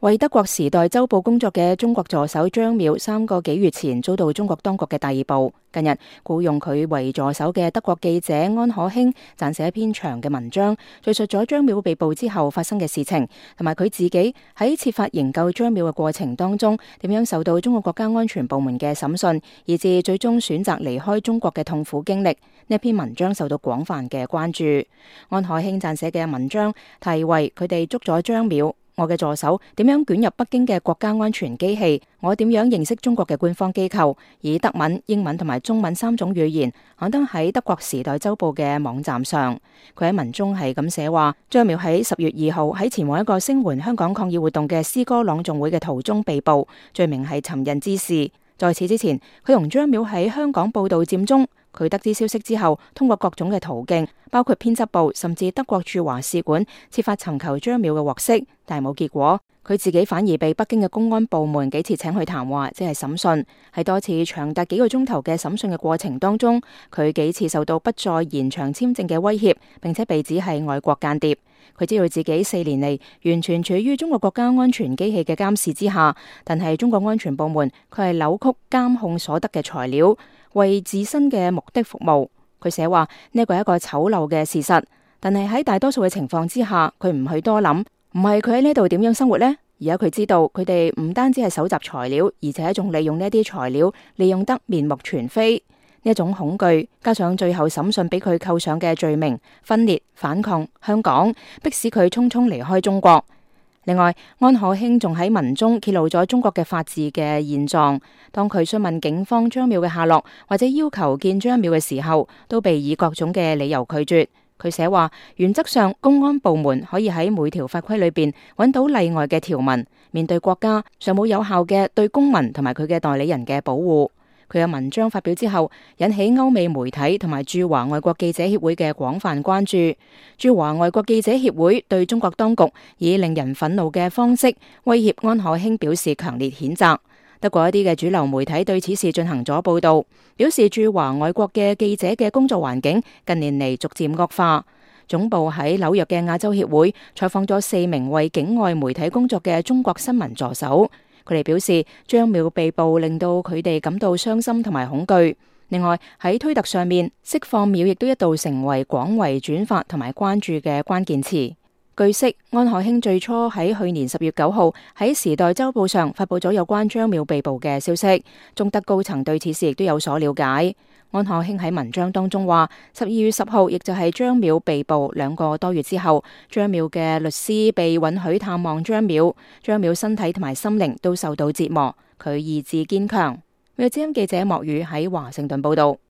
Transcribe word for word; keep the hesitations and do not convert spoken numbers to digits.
為德國時代週報工作嘅中國助手張淼，三個幾月前遭到中國當局嘅逮捕。近日僱用佢為助手嘅德國記者安可興撰寫一篇長嘅文章，敘述咗張淼被捕之後發生嘅事情，同埋佢自己喺設法營救張淼嘅過程當中，點樣受到中國國家安全部門嘅審訊，以至最終選擇離開中國嘅痛苦經歷。呢篇文章受到廣泛嘅關注。安可興撰寫嘅文章題為《佢哋捉咗張淼，我嘅助手點樣捲入北京嘅國家安全機器，我點樣認識中國嘅官方機構》，以德文、英文同埋中文三種語言刊登喺德國時代週報嘅網站上。佢喺文中係咁寫話：張淼喺十月二號喺前往一個聲援香港抗議活動嘅詩歌朗誦會嘅途中被捕，罪名係尋釁滋事。在此之前，佢同張淼喺香港報道佔中。佢得知消息之後，通過各種嘅途徑，包括編輯部甚至德國駐華使館，設法尋求張淼嘅獲釋，但係冇結果。佢自己反而被北京嘅公安部門幾次請去談話，即係審訊。喺多次長達幾個鐘頭嘅審訊嘅過程當中，佢幾次受到不再延長簽證嘅威脅，並且被指係外國間諜。佢知道自己四年嚟完全處於中國國家安全機器嘅監視之下，但係中國安全部門佢係扭曲監控所得嘅材料，為自身嘅目的服務。佢寫話呢個係一個醜陋嘅事實，但係喺大多數嘅情況之下，佢唔去多諗，唔係佢喺呢度點樣生活呢？而家佢知道佢哋唔單止係搜集材料，而且仲利用呢啲材料利用得面目全非。呢一種恐懼，加上最後審訊俾佢扣上嘅罪名分裂、反抗香港，迫使佢匆匆離開中國。另外，安可興仲喺文中揭露咗中國嘅法治嘅現狀。當佢詢問警方張淼嘅下落，或者要求見張淼嘅時候，都被以各種嘅理由拒絕。佢寫話，原則上公安部門可以喺每條法規裏邊揾到例外嘅條文，面對國家尚冇有效嘅對公民同埋佢嘅代理人嘅保護。佢嘅文章發表之後，引起歐美媒體同埋駐華外國記者協會嘅廣泛關注。駐華外國記者協會對中國當局以令人憤怒嘅方式威脅安可興表示強烈譴責。德國一啲嘅主流媒體對此事進行咗報道，表示駐華外國嘅記者嘅工作環境近年嚟逐漸惡化。總部喺紐約嘅亞洲協會採訪咗四名為境外媒體工作嘅中國新聞助手。佢哋表示，張淼被捕令到佢哋感到傷心同埋恐懼。另外喺推特上面，釋放淼亦都一度成為廣為轉發同埋關注嘅關鍵詞。據悉，安可興最初喺去年十月九號喺《時代週報》上發佈咗有關張淼被捕嘅消息，中德高層對此事亦都有所了解。安可興喺文章當中話，十二月十號，亦就係張淼被捕兩個多月之後，張淼嘅律師被允許探望張淼，張淼身體同埋心靈都受到折磨，佢意志堅強。美國之音記者莫宇喺華盛頓報道。